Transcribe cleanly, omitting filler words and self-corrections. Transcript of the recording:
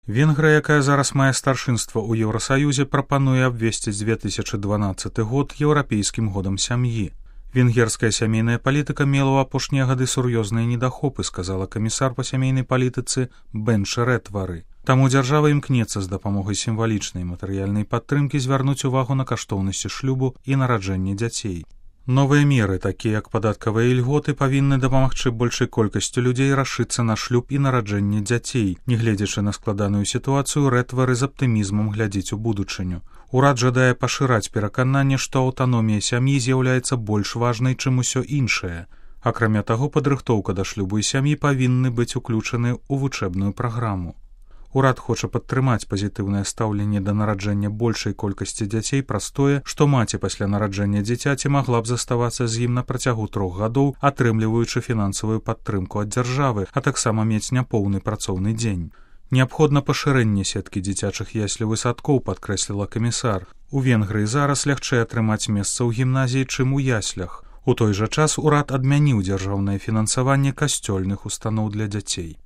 Венгрыя, якая зараз мае старшынства ў Еўрасаюзе, прапануе абвесціць 2012 год еўрапейскім годам сям'і. Венгерская сямейная палітыка мела ў апошнія гады сур'ёзныя недахопы, сказала камісар па сямейнай палітыцы Бенче Ретвары. Таму дзяржава імкнецца з дапамогай сімвалічнай матэрыяльнай падтрымкі звярнуць увагу на каштоўнасці шлюбу і нараджэння дзяцей. Новыя меры, такія як падатковыя ільготы, павінны дапамагчы большай колькасцю людзей рашыцца на шлюб і нараджэнне дзяцей. Нягледзячы на складаную сітуацыю, Рэтвары з аптымізмам глядзіць у будучыню. Урад жадае пашыраць перакананне, што аўтаномія сям'і з'яўляецца больш важнай, чым усё іншае. Акрамя таго, падрыхтоўка да шлюбу і сям'і павінны быць уключаны ў вучэбную праграму. Урад хоча падтрымаць пазітыўнае стаўленне да нараджэння большай колькасці дзяцей праз тое, што маці пасля нараджэння дзіцяці магла б заставацца з ім на працягу 3 гадоў, атрымліваючы фінансавую падтрымку ад дзяржавы, а таксама мець няпоўны працоўны дзень. Неабходна пашырэнне сеткі дзіцячых яслаў і садкоў, падкрэсліла камісар. У Венгрыі зараз лягчэй атрымаць месца ў гімназіі, чым у яслях. У той жа час урад адмяніў дзяржаўнае фінансаванне касцёльных устаноў для дзяцей.